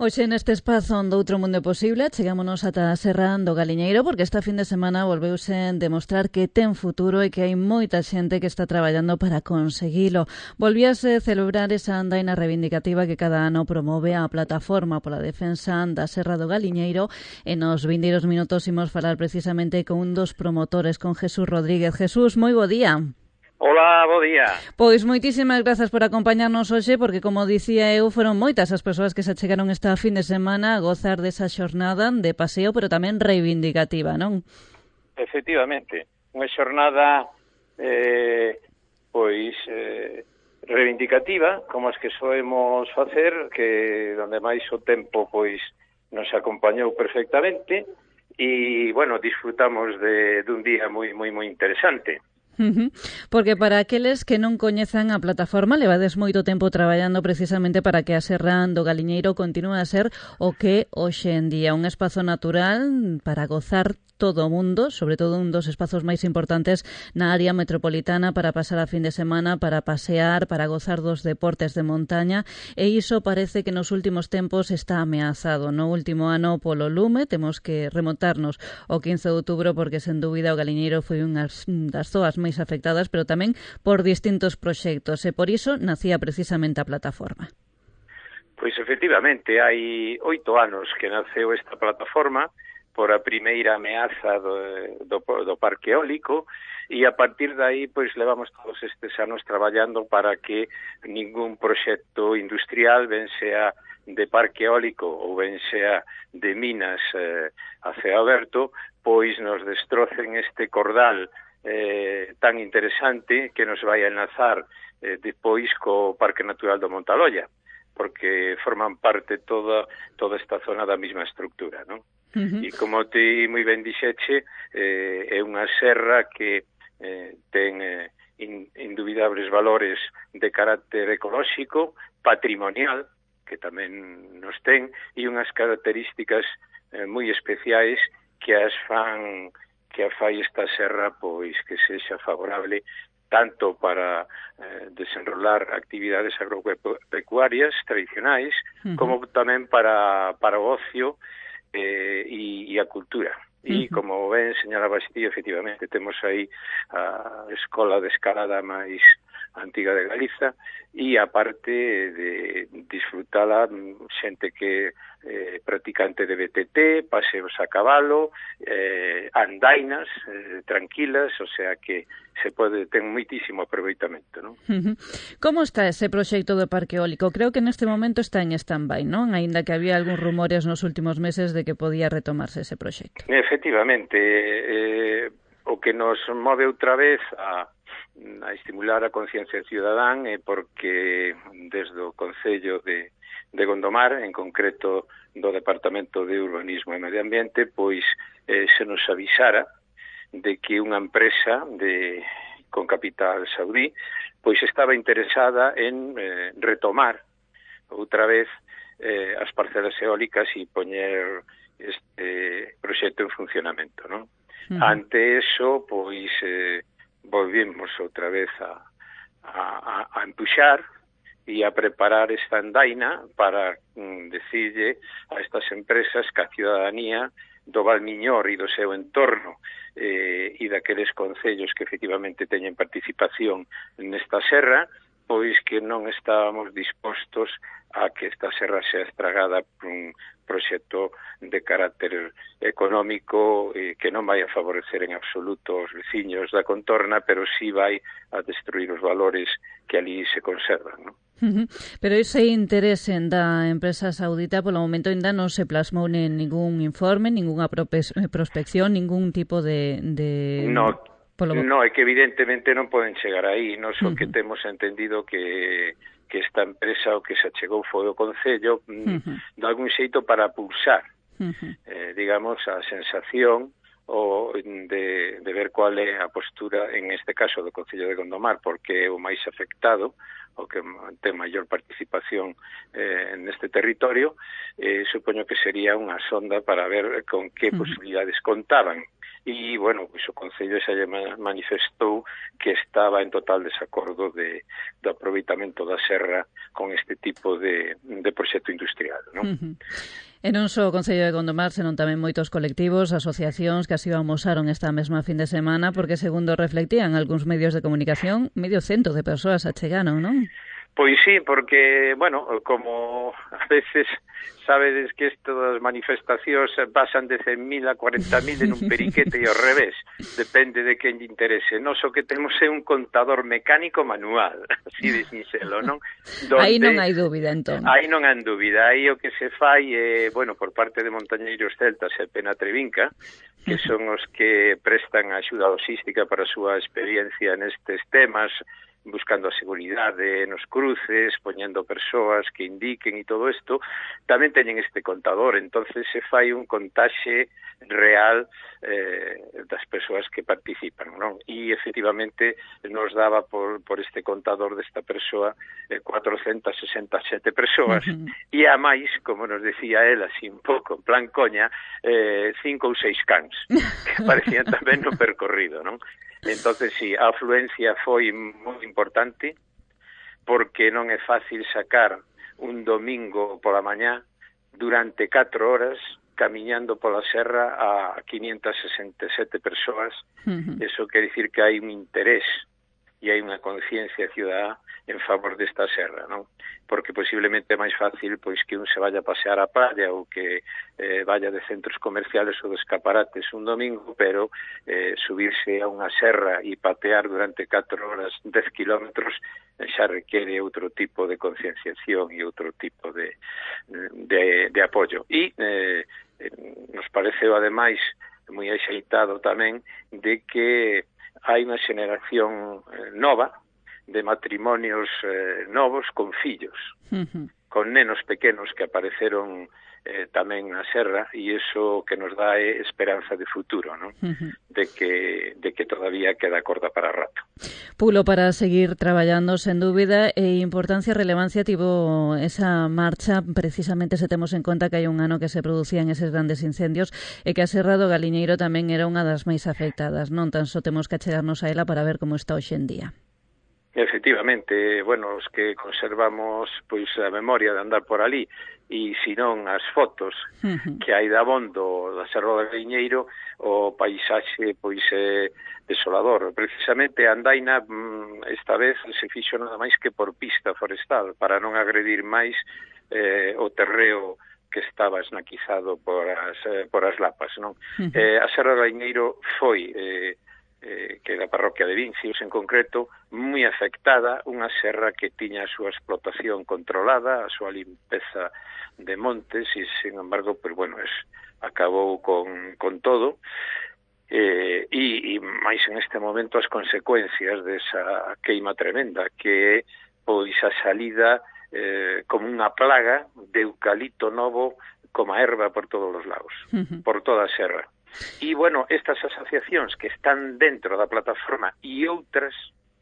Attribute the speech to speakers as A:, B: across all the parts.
A: Hoxe neste espazo do Outro Mundo Posible chegámonos ata a Serra do Galiñeiro porque esta fin de semana volveuse demostrar que ten futuro e que hai moita xente que está traballando para conseguilo. Volvíase celebrar esa andaina reivindicativa que cada ano promove a Plataforma pola Defensa da Serra do Galiñeiro e nos vindeiros minutos imos falar precisamente con un dos promotores, con Jesús Rodríguez. Jesús, moi bo día.
B: Hola, bo día.
A: Pois moitísimas grazas por acompañarnos hoxe, porque, como dicía eu, foron moitas as persoas que se achegaron esta fin de semana a gozar desa xornada de paseo, pero tamén reivindicativa, non?
B: Efectivamente, unha xornada reivindicativa, como as que soemos facer, que donde máis o tempo pois nos acompañou perfectamente e, bueno, disfrutamos dun día moi interesante.
A: Porque para aqueles que non coñezan a plataforma, levades moito tempo traballando precisamente para que a Serra do Galiñeiro continue a ser o que hoxe en día, un espazo natural para gozar todo o mundo, sobre todo un dos espazos máis importantes na área metropolitana para pasar a fin de semana, para pasear, para gozar dos deportes de montaña, e iso parece que nos últimos tempos está ameazado. No último ano polo lume, temos que remontarnos ao 15 de outubro porque, sen dúbida, o Galiñeiro foi unha das zoas máis afectadas, pero tamén por distintos proxectos, e por iso nacía precisamente a plataforma.
B: Pois, efectivamente, hai 8 anos que naceu esta plataforma por a primeira ameaza do parque eólico, e a partir de aí pois levamos todos estes anos traballando para que ningún proxecto industrial, ben sea de parque eólico ou ben sea de minas a ceo aberto, pois nos destrocen este cordal tan interesante que nos vai a enlazar depois co Parque Natural do Montaloia, porque forman parte toda esta zona da mesma estructura, non? E como ti moi ben dixeche, é unha serra que ten indubidables valores de carácter ecolóxico, patrimonial, que tamén nos ten, e unhas características moi especiais que a fai esta serra pois que sexa favorable tanto para desenrolar actividades agropecuarias tradicionais, como tamén para o ocio e a cultura. E, como ben señalabas ti, efectivamente, temos aí a escola de escalada máis antiga de Galiza e, aparte de disfrutala, xente que practicante de BTT, paseos a cabalo, andainas tranquilas, o sea que ten moitísimo aproveitamento, non?
A: Como está ese proxecto do parque eólico? Creo que neste momento está en stand-by, non? Aínda que había algúns rumores nos últimos meses de que podía retomarse ese proxecto.
B: Efectivamente, o que nos move outra vez a estimular a conciencia cidadán é porque desde o Concello de Gondomar, en concreto do Departamento de Urbanismo e Medio Ambiente, pois se nos avisara de que unha empresa con capital saudí pois estaba interesada en retomar outra vez as parcelas eólicas e poñer este proxecto en funcionamento, non? Ante eso, pois volvimos outra vez a empuxar e a preparar esta andaina para decirlle a estas empresas que a ciudadanía do Valmiñor e do seu entorno e daqueles concellos que efectivamente teñen participación nesta serra, pois que non estábamos dispostos a que esta serra sea estragada por un proxecto de carácter económico que non vai a favorecer en absoluto os veciños da contorna, pero sí vai a destruir os valores que ali se conservan, non?
A: Pero ese interese da empresa saudita polo momento ainda non se plasmou en ningún informe, ninguna prospección, ningún tipo de...
B: No, é que evidentemente non poden chegar aí. Nos o que temos entendido que esta empresa o que se achegou foi o Concello de algún xeito para pulsar digamos, a sensación de ver cual é a postura, en este caso, do Concello de Gondomar, porque é o máis afectado, o que ten maior participación neste territorio. Supoño que sería unha sonda para ver con que posibilidades contaban. e, bueno, pois o Concello xa lle manifestou que estaba en total desacordo do aproveitamento da serra con este tipo de proxecto industrial, non?
A: E non só o Concello de Gondomar, senón tamén moitos colectivos, asociacións que así o amosaron esta mesma fin de semana, porque, segundo reflectían algúns medios de comunicación, 100 de persoas achegaron, non?
B: Pois sí, porque, bueno, como a veces sabedes que isto das manifestacións pasan de 100.000 a 40.000 en un periquete e ao revés, depende de quen lle interese. Nos o que temos é un contador mecánico manual, así de sinxelo, non?
A: Aí non hai dúbida, entón.
B: Aí non hai dúbida, aí o que se fai é, bueno, por parte de Montañeiros Celtas e Pena Trevinca, que son os que prestan a axuda logística para a súa experiencia nestes temas, buscando a seguridade nos cruces, poñendo persoas que indiquen e todo isto, tamén teñen este contador, entonces se fai un contaxe real das persoas que participan, non? E efectivamente nos daba por este contador desta persoa 467 persoas, e a máis, como nos decía él, así un pouco en plan coña, 5 ou 6 cans, que aparecían tamén no percorrido, non? Entonces, sí, a afluencia foi moi importante, porque non é fácil sacar un domingo pola mañá durante 4 horas camiñando pola serra a 567 persoas. Eso quer dicir que hai un interés e hai unha conciencia cidadá en favor desta serra, non? Porque posiblemente é máis fácil pois que un se vaya a pasear á praia ou que vaya de centros comerciales ou de escaparates un domingo, pero subirse a unha serra e patear durante 4 horas 10 kilómetros xa requere outro tipo de concienciación e outro tipo de apoio. E nos pareceu, ademais, moi axeitado tamén de que hai unha xeneración nova de matrimonios novos con fillos, con nenos pequenos que apareceron tamén na serra, e iso que nos dá é esperanza de futuro, non? De que todavía queda corda para rato.
A: Pulo, para seguir traballando, sen dúbida, e importancia e relevancia tivo esa marcha, precisamente se temos en conta que hai un ano que se producían eses grandes incendios e que a Serra do Galiñeiro tamén era unha das máis afectadas, non? Tan só temos que achegarnos a ela para ver como está hoxe en día.
B: Efectivamente, bueno, os que conservamos pois a memoria de andar por ali e senón as fotos que hai de abondo da Serra do Galiñeiro, o paisaxe pois é desolador. Precisamente a andaina esta vez se fixo nada máis que por pista forestal para non agredir máis o terreo que estaba esnaquizado por as lapas, non? A Serra do Galiñeiro foi que da parroquia de Vincios en concreto, moi afectada, unha serra que tiña a súa explotación controlada, a súa limpeza de montes, e, sin embargo, pues, bueno, acabou con todo, e máis en este momento as consecuencias desa queima tremenda, que é pois a salida como unha plaga de eucalipto novo como a erva por todos os lados, por toda a serra. E, bueno, estas asociacións que están dentro da plataforma e outras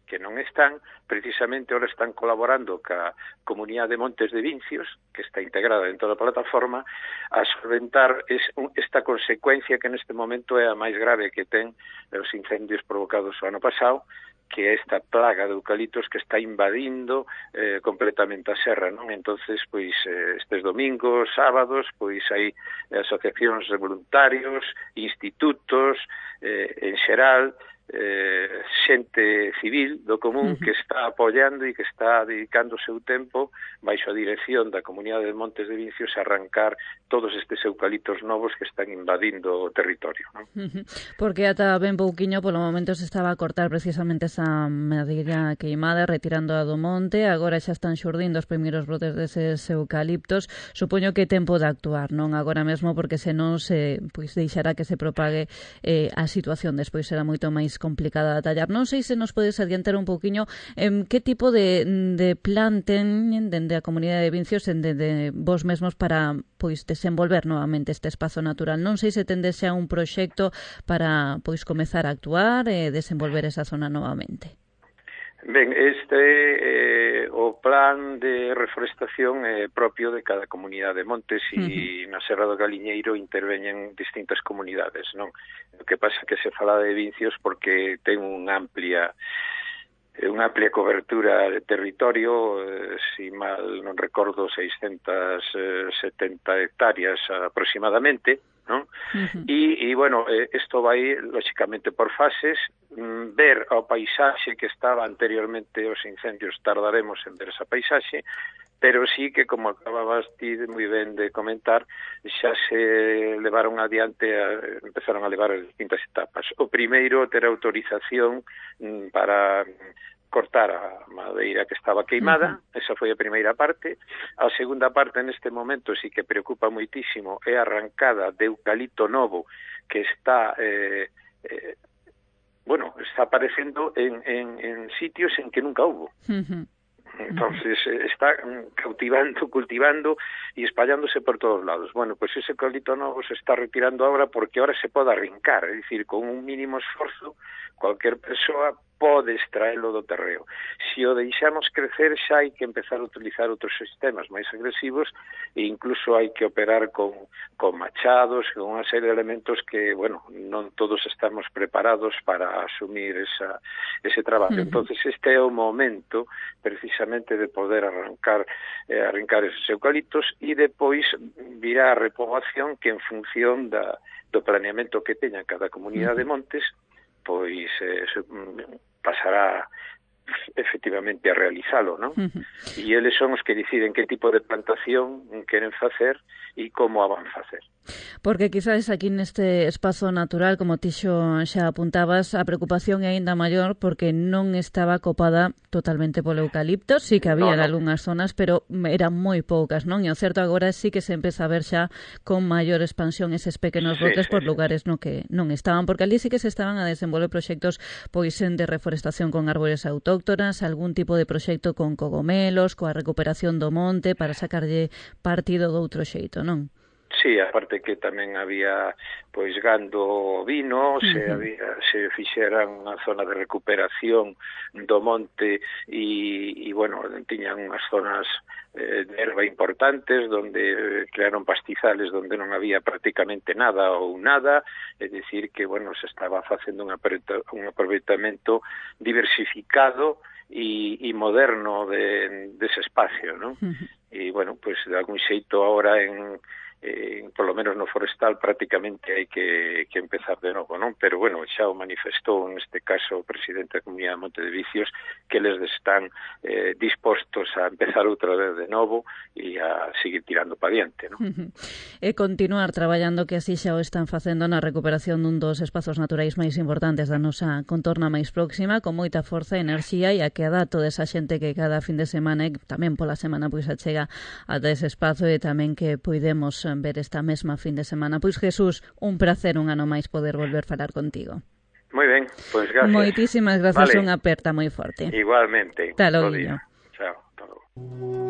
B: que non están, precisamente ahora están colaborando ca Comunidade de Montes de Vincios, que está integrada dentro da plataforma, a solventar esta consecuencia que neste momento é a máis grave que ten os incendios provocados o ano pasado, que é esta plaga de eucaliptos que está invadindo completamente a serra, non? Entonces, pois, estes domingos, sábados, pois hai asociacións de voluntarios, institutos, en xeral, xente civil do común que está apoiando e que está dedicando o seu tempo baixo a dirección da Comunidade de Montes de Vincios a arrancar todos estes eucaliptos novos que están invadindo o territorio, non?
A: Porque ata ben pouquiño polo momento se estaba a cortar precisamente esa madeira queimada, retirando a do monte, agora xa están xurdindo os primeiros brotes deses eucaliptos. Supoño que é tempo de actuar, non agora mesmo, porque senón se pois deixará que se propague a situación, despois será moito máis complicada de atallar. Non sei se nos podes adiantar un pouquiño que tipo de plan ten dende a Comunidade de Vincios de vos mesmos para pois desenvolver novamente este espazo natural. Non sei se tendes xa un proxecto para pois comezar a actuar e desenvolver esa zona novamente.
B: Ben, este o plan de reforestación propio de cada comunidade de montes e na Serra do Galiñeiro interveñen distintas comunidades, non? O que pasa que se fala de Vincios porque ten unha amplia cobertura de territorio, si mal non recordo, 670 hectáreas aproximadamente, non? E bueno, isto vai, lógicamente, por fases. Ver o paisaxe que estaba anteriormente os incendios, tardaremos en ver esa paisaxe, pero sí que, como acababas ti moi ben de comentar, xa se levaron adiante, empezaron a levar as distintas etapas. O primeiro, ter autorización para cortar a madeira que estaba queimada, esa foi a primeira parte. A segunda parte, neste momento, sí que preocupa moitísimo, é a arrancada de eucalipto novo que está está aparecendo en sitios en que nunca hubo. Entonces está cultivando y espallándose por todos lados. Bueno, pues ese eucalipto novo se está retirando ahora porque ahora se pode arrincar, é dicir, con un mínimo esforzo, cualquier persoa pode extraelo do terreo. Se o deixamos crecer, xa hai que empezar a utilizar outros sistemas máis agresivos e incluso hai que operar con machados, con unha serie de elementos que, bueno, non todos estamos preparados para asumir ese traballo. Entonces este é o momento precisamente de poder arrancar esos eucaliptos e depois virá a repoboación que en función do planeamento que teña cada comunidade de montes, pois pasará efectivamente a realizalo, non? E eles son os que deciden que tipo de plantación queren facer e como a van facer.
A: Porque quizás aquí neste espazo natural, como ti xa apuntabas, a preocupación é aínda maior porque non estaba copada totalmente polo eucalipto, sí que había en algunhas zonas, pero eran moi poucas, non? E o certo agora sí que se empeza a ver xa con maior expansión eses pequenos brotes por lugares no que non estaban, porque ali sí que se estaban a desenvolver proxectos pois de reforestación con árbores autóctonas, algún tipo de proxecto con cogomelos, coa recuperación do monte para sacarlle partido do outro xeito, non?
B: Sí, aparte que tamén había pois gando ovino, se fixeran unha zona de recuperación do monte e bueno, tiñan unhas zonas de erva importantes donde crearon pastizales donde non había prácticamente nada ou nada, é dicir que bueno, se estaba facendo un aproveitamento diversificado e moderno dese espacio, non? E bueno, pues de algún xeito agora por lo menos no forestal prácticamente hai que empezar de novo, non? Pero bueno, xa o manifestou neste caso o presidente da Comunidade de Monte de Vicios que eles están dispostos a empezar outra vez de novo e a seguir tirando para diante, non?
A: E continuar traballando que así xa o están facendo na recuperación dun dos espazos naturais máis importantes da nosa contorna máis próxima, con moita forza e enerxía e a que dá toda esa xente que cada fin de semana e tamén pola semana pois achega ata ese espazo e tamén que poidemos ver esta mesma fin de semana. Pois Jesús, un placer un ano máis poder volver falar contigo.
B: Moi ben, pois gracias.
A: Moitísimas grazas, unha aperta moi forte.
B: Igualmente.
A: Hasta logo.
B: Chao, hasta logo.